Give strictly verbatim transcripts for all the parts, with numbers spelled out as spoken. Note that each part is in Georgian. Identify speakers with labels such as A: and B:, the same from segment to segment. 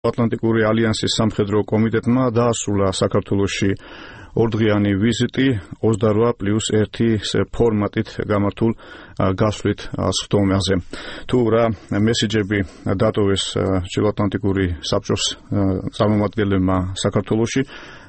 A: ატლანტიკური ალიანსის სამხედრო კომიტეტმა დაასრულა საქართველოში ორდღიანი ვიზიტი ოცდარვა პლუს ერთი ფორმატით გამართულ გასვლით სხდომაზე. თუ რა მესიჯები დატოვეს ჩრდილოატლანტიკური საბჭოს წარმომადგენლებმა საქართველოში,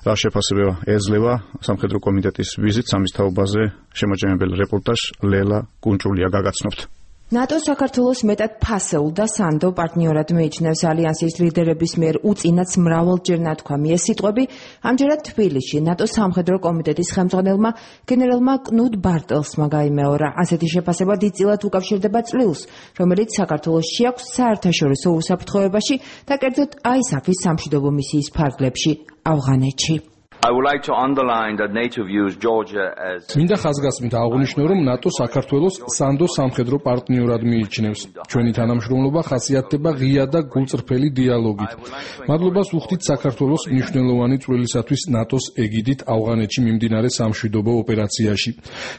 A: რა შეფასება ეძლევა სამხედრო კომიტეტის ვიზიტს, ამის თაობაზე შემაჯამებელი რეპორტაჟ ლელა კუნჭულია გაგაცნობთ.
B: ნატო საქართველოს მეტად ფასეულ და სანდო პარტნიორად მიიჩნევს ალიანსის ლიდერების მიერ უწინაც მრავალჯერ ნათქვამი ეს სიტყვები ამჯერად თბილისში ნატოს სამხედრო კომიტეტის ხელმძღვანელმა გენერალმა კნუდ ბარტელსმა გაიმეორა. ასეთი შეფასება დიდწილად უკავშირდება წვლილს, რომელიც საქართველოს შეაქვს საერთაშორისო უსაფრთხოებაში და კერძოდ აისაფის სამშვიდობო მისიის ფარგლებში ავღანეთში.
C: I would like to underline that NATO views Georgia as
D: მინდა ხაზგასმით აღვნიშნო, რომ ნატო საქართველოს სანდო სამხედრო პარტნიორად მიიჩნევს. ჩვენი თანამშრომლობა ხასიათდება ღია და გულწრფელი დიალოგით. მადლობას ვუხდით საქართველოს მნიშვნელოვანი წვლილისათვის ნატოს ეგიდით ავღანეთში მიმდინარე სამშვიდობო ოპერაციაში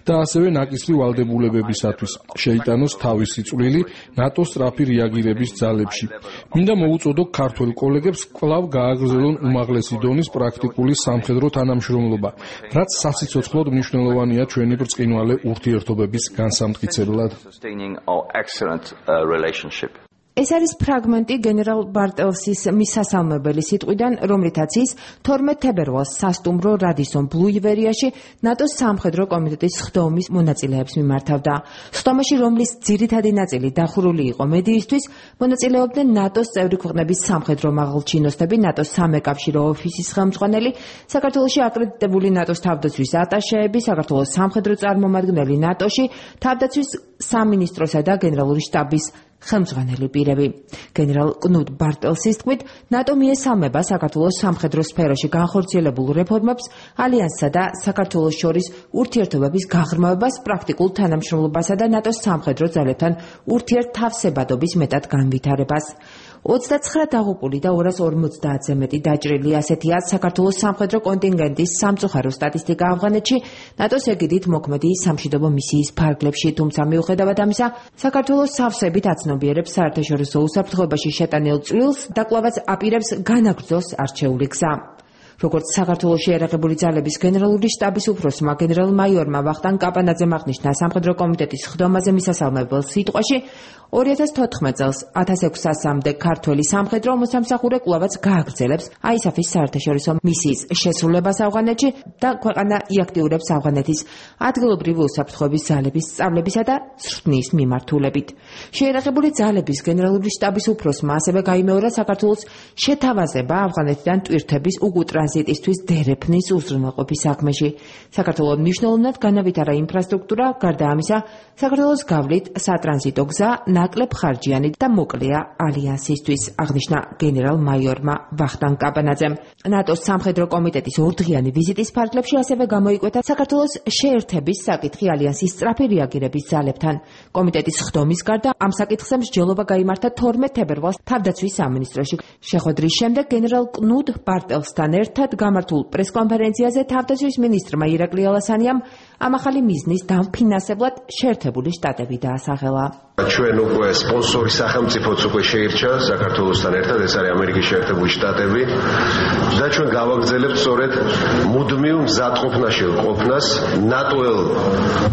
D: და ასევე ნაკისრი ვალდებულებებისათვის შეიტანოს თავისი წვლილი ნატოს სწრაფი რეაგირების ძალებში. მინდა მოუწოდო ქართველ კოლეგებს კვლავ გააგრძელონ უმაღლესი დონის პრაქტიკული სამხედრო თანამშრომლობა, რაც სასიცოცხლოდ მნიშვნელოვანია ჩვენი ბრწყინვალე ურთიერთობების განსამტკიცებლად.
B: ეს არის ფრაგმენტი გენერალ ბარტელსის მისასალმებელი სიტყვიდან, რომლითაც ის თორმეტ თებერვალს სასტუმრო რადისონ ბლუ ივერიაში ნატოს სამხედრო კომიტეტის სხდომის მონაწილეებს მიმართავდა. სხდომაში, რომლის ძირითადი ნაწილი დახურული იყო მედიისთვის, მონაწილეობდნენ ნატოს წევრი ქვეყნების სამხედრო მაღალჩინოსნები, ნატოს სამეკავშირო ოფისის ხელმძღვანელი, საქართველოში აკრედიტებული ნატოს თავდაცვის ატაშეები, საქართველოს სამხედრო წარმომადგენელი ნატოში, თავდაცვის სამინისტროსა და გენერალური შტაბის ხელმძღვანელი პირები. გენერალ კნუდ ბარტელსის თქმით, ნატო მიესალმება საქართველოს სამხედრო სფეროში განხორციელებულ რეფორმებს, ალიანსსა და საქართველოს შორის ურთიერთობების გაღრმავებას, პრაქტიკულ თანამშრომლობასა და ნატოს სამხედრო ძალებთან ურთიერთთავსებადობის მეტად განვითარებას. ოცდაცხრა დაღუპული და ორას ორმოცდაათზე მეტი დაჭრილი, ასეთია საქართველოს სამხედრო კონტინგენტის სამწუხარო სტატისტიკა ავღანეთში ნატოს ეგიდით მოქმედი სამშვიდობო მისიის ფარგლებში, თუმცა მიუხედავად ამისა, საქართველოს სავსებით აცნობიერებს საერთაშორისო უსაფრთხოებაში შეტანილ წვლილს და კვლავაც აპირებს განაგრძოს არჩეული გზა. როგორც საქართველოში ერაღებული ძალების გენერალური შტაბის უფროსმა გენერალ-მაიორმა ვახტანგ კაპანაძემ აღნიშნა სამხედრო კომიტეტის სხდომაზე მისასალმებელ სიტყვაში, ორი ათას თოთხმეტ წელს ათას ექვსასამდე ქართველი სამხედრო მოსამსახურე კვლავაც გააგრძელებს აისაფის საერთაშორისო მისიის შესრულებას ავღანეთში და ქვეყანა იაქტიურებს ავღანეთის ადგილობრივი უსაფრთხოების ძალების სწავლებისა და ზრდნის მიმართულებით. შეერაღებული ძალების გენერალური შტაბის უფროსმა ასევე გაიმეორა საქართველოს შეთავაზება ავღანეთიდან ტვირთების უკუტრანზიტისთვის დერეფნის უზრუნველყოფის საქმეში. საქართველოს მნიშვნელოვნად განავითარა ინფრასტრუქტურა, გარდა ამისა, საქართველოს გავლით სატრანზიტო გზა ნაკლებ ხარჯიანი და მოკლეა ალიანსისთვის, აღნიშნა გენერალ-მაიორმა ვახტანგ კაპანაძემ. ნატოს სამხედრო კომიტეტის ორდღიანი ვიზიტის ფარგლებში ასევე გამოიკვეთა საქართველოს შეერთების საკითხი ალიანსის სწრაფი რეაგირების ძალებთან. კომიტეტის სხდომის გარდა ამ საკითხზე მსჯელობა გაიმართა თორმეტ თებერვალს თავდაცვის სამინისტროში. შეხვედრის შემდეგ გენერალ კნუდ ბარტელსთან ერთად გამართულ პრესკონფერენციაზე თავდაცვის მინისტრმა ირაკლი ალასანიამ ამ ახალი მიზნის დამფინანსებლად შეერთებული შტატები დაასახელა.
E: ჩვენ უკვე სპონსორი სახელმწიფოც უკვე შეირჩა საქართველოსთან ერთად, ეს არის ამერიკის შეერთებული შტატები და ჩვენ გავაგრძელებთ სწორედ მუდმივ მზადყოფნაში ყოფნას ნატოელ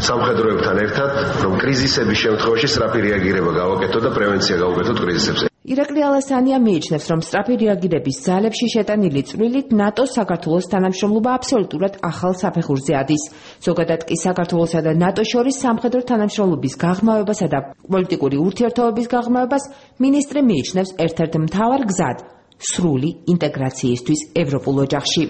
E: სამხედროებთან ერთად, რომ კრიზისების შემთხვევაში სწრაფი რეაგირება გავაკეთოთ და პრევენცია გავაკეთოთ კრიზისებზე.
B: ირაკლი ალასანია მიიჩნევს, რომ სწრაფი რეაგირების ძალებში შეტანილი წვლილით ნატოს საქართველოს თანამშრომლობა აბსოლუტურად ახალ საფეხურზე ადის. ზოგადად კი საქართველოსა და ნატოს შორის სამხედრო თანამშრომლობის გაღრმავებასა და პოლიტიკური ურთიერთობების გაღრმავებას მინისტრი მიიჩნევს ერთ-ერთ მთავარ გზად სრული ინტეგრაციისთვის ევროპულ ოჯახში.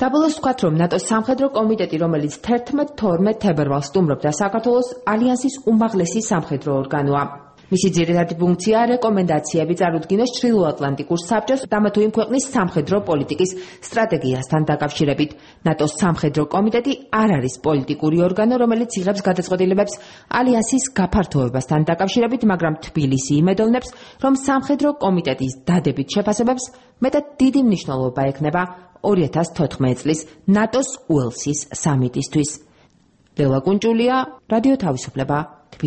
B: დაბოლოს ვთქვათ, რომ ნატოს სამხედრო კომიტეტი, რომელიც თერთმეტ თორმეტ თებერვალს სტუმრობდა საქართველოს, ალიანსის უმაღლესი სამხედრო ორგანოა. მისი ძირითადი ფუნქცია რეკომენდაციები წარუდგინოს ჩრდილოატლანტიკურ საბჭოს და ამა თუ იმ ქვეყნის სამხედრო პოლიტიკის სტრატეგიასთან დაკავშირებით. ნატოს სამხედრო კომიტეტი არ არის პოლიტიკური ორგანო, რომელიც იღებს გადაწყვეტილებებს ალიანსის გაფართოებასთან დაკავშირებით, მაგრამ თბილისი იმედოვნებს, რომ სამხედრო კომიტეტის დადებით შეფასებებს მეტად დიდი მნიშვნელობა ექნება ორი ათას თოთხმეტ წლის ნატოს უელსის სამიტისთვის. ლელა კუნჭულია, რადიო თავისუფლება.